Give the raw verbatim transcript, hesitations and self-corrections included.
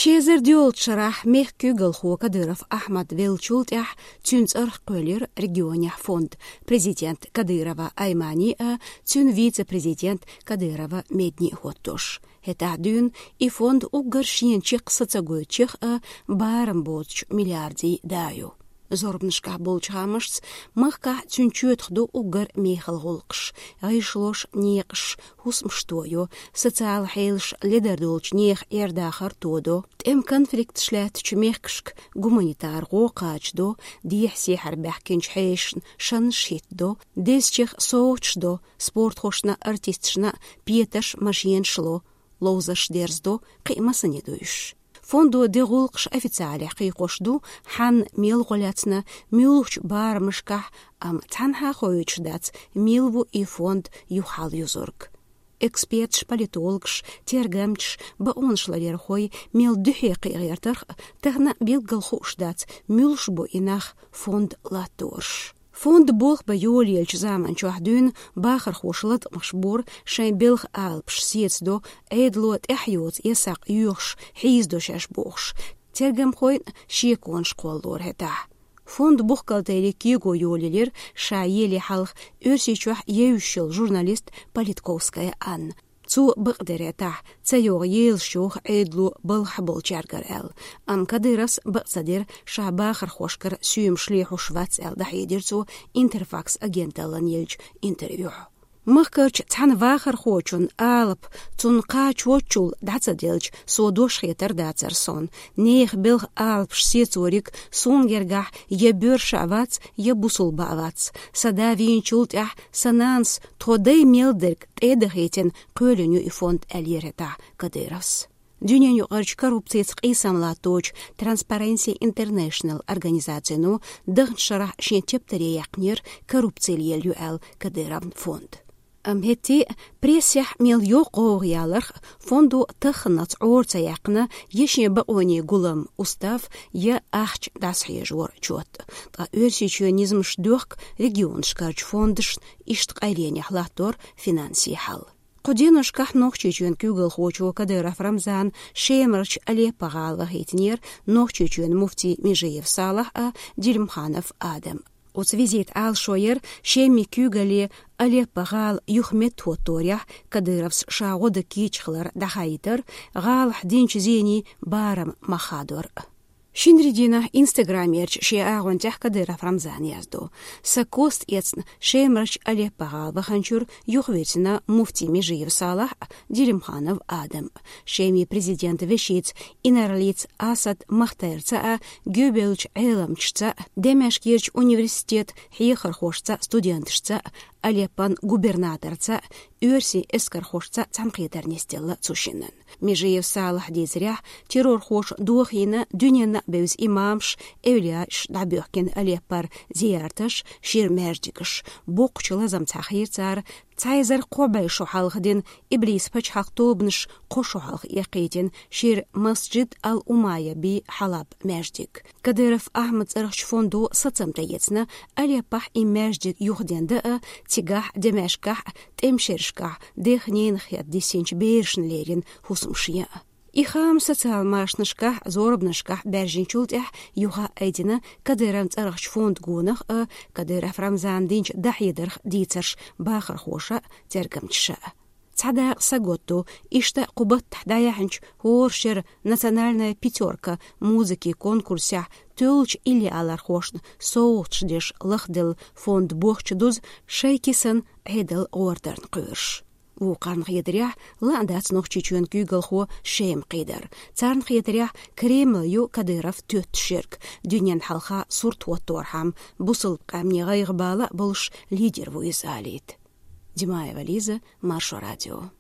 Ши эзар доьалгӀача шарахь мехка куьйгалхо Кадыров Ахьмад веллачул тӀаьхьа цуьнан цӀарах кхоьллира регионехь фонд. Президент Кадырова Аймани а, цуьнан вице-президент Кадырова Медни а хӀоттош. ХӀетахь дуьйна и фонд уггар шена чекх са ца гойтуш а, барам боцучу миллиардийн да ю. Зорбанашкахь болчу хаамашца, махкахь цуьнан чоьтах ду уггар мехала гӀуллакхаш, гӀишлош, некъаш, хӀусамаш тодо, социалан хьелаш ледара долчу нехан Ӏер-дахар тодо, тӀеман конфликташ лаьттачу мехкашка гуманитар гӀо кхачадо, дехьа-сехьара баьхкинчу хьешашна шанаш хӀиттадо, дезачех совгӀаташ до, спортхошна, артисташна петарш, машенаш ло, ловзарш дерзадо, кхин а массане дуьйш. Фондо ден гӀуллакхаш официалехь кхайкхош ду, хьанна, мел гӀо лаьцна, муьлхачу барамашкахь, амма цхьанхьа а хоуьйтуш дац, мила ву и фонд юха хьалаюзург. Эксперташ, политологаш, тергамчаш, бакъонаш ларъярхой мел дуьхье кхиа гӀертарх а, тахана билггал хууш дац, муьлш бу и нах фонд латтораш. Фонд болх бан йолаеллачу заман чохь дуьйна бахархоша латкъамаш бора, шайн белхан алапаш сецадо, Ӏедало тӀаьхьа йоцу я сакъ йоьхуш, хьийзадо шаьш бохуш. Тергамхойн а шеконаш кхоллалора хӀетахь. Фонд бухгалтерийн кего йолаелира ша еле хьалха Оьрсийчохь евзаш йолу журналист Политковская Анна. Цо бакъдерг тӀехь ца йогӀу елаш йоху Ӏедало балхахь болчаьргара аьлла. Амма Кадыровс бакъ ца дира, ша бахархошкара соьмаш лехьуш вац аьлла, дӀахьедира цо Интерфакс агенталлина еллачу интервьюхь. Махкарчу цхьана вахархочун алапа цунна кхачочул дӀа ца делча, со дош хетар дацара суна. Нехан белхан алапаш сецориг суна гергахь я боьрша а вац, я бусулба а вац. Сан да вийначул тӀаьхьа сан нанас тхо дай мел дерг тӀе а дахийтина, кхоьллина ю и фонд, аьллера хӀетахь Кадыровс. Дуьненаюкъарчу коррупцица къийсам латточу Transparency International организацино даханчу шарахь шен тептаре яьккхинера, коррупци лелайо аьлла, Кадыровн фонд. Амма хӀетте а прессехь мел йоккха гӀовгӀа яларх а, фондо тахханалц Ӏора ца яьккхина я шен бакъонийн гулам, устав, я ахча дӀасахьежор, чот. Ткъа Оьрсийчоьнан низамаш доьхку регионашкарчу фондашна иштта къайленехь латтор финансийн хьал. Кху деношкахь Нохчийчоьнан куьйгалхочо Кадыров Рамзана Шемарчу Алеппо-гӀала вахийтинера Нохчийчоьнан муфти Межиев Салахь а, Делимханов Адам. Оцу визитан Ӏалашо яра Шеман куьйгалле Алеппо-гӀала юха меттахӀотторехь Кадыровс ша гӀо дан кийча хилар дӀахаийтар, гӀалахь динчу зенийн барам мах хадор. Шинарин дийнахь Инстаграмерчу шен агӀончехь Кадыров Рамзана яздо: «Сан кост эцна Шемарчу Алеппо-гӀала ваханчуьра юхавирзина муфти Межиев Салахь а, Делимханов Адам а. Шеман президентан вешица Инаралица Асад Махтарца а, гуьйбевллачу Ӏеламчашца а, Демашкерчу университетан хьехархошца а, студенташца а, Алеппон губернаторца а, оьрсийн эскархошца а цхьаьнакхетар нисделла цу шиннан». Межиев Салахьа дийцарехь, террорхоша дохийна, дуьненна а бевза имамаш, эвлияаш дӀабоьхкина Алеппора зиярташ, шира маьждигаш. Боккхачу лазамца хийра цара цхьа эзар кхо бӀе шо хьалха дина иблисан пачхьалкхан тобанаш кхо шо хьалха эккхийтина шира Масджид ал-Умайя бен Хьалаб маьждиг. Кадыров Ахьмадан цӀарахчу фондо сацам тӀеэцна Алеппохь и маьждиг юхадендан а, цигахь а, Демашкехь а, тӀеман шерашкахь дехненах хетта диссинчу берашна леррина хӀусамаш ян а. И хаам социал машанашкахь, зорбанашкахь баьржинчул тӀаьхьа юха а айдина Кадыровн цӀарахчу фондан гонах а, Кадыров Рамзана динчу дӀахьедарх дийцарш бахархоша а, тергамчаша а. Цхьа дакъа саготду, иштта кху баттахь дӀаяьхьначу хӀора шеран «Национальная пятёрка» музыкин конкурсехь тоьллачу иллиалархошна совгӀаташ деш лахделла фондан бохчу дуза шайн кисана Ӏедал гӀортарна кхоьруш. Вукхарна хетарехь, лаьа дац Нохчийчоьнан куьйгалхо Шема кхийдар. Царна хетарехь, Кремль ю Кадыров тоьттуш ерг, дуьненна хьалха сурт хӀотторхьама, бусалба къаьмнийн гӀайгӀа бала а болуш лидер ву иза алийта. Димаева Лиза, Маршо радио.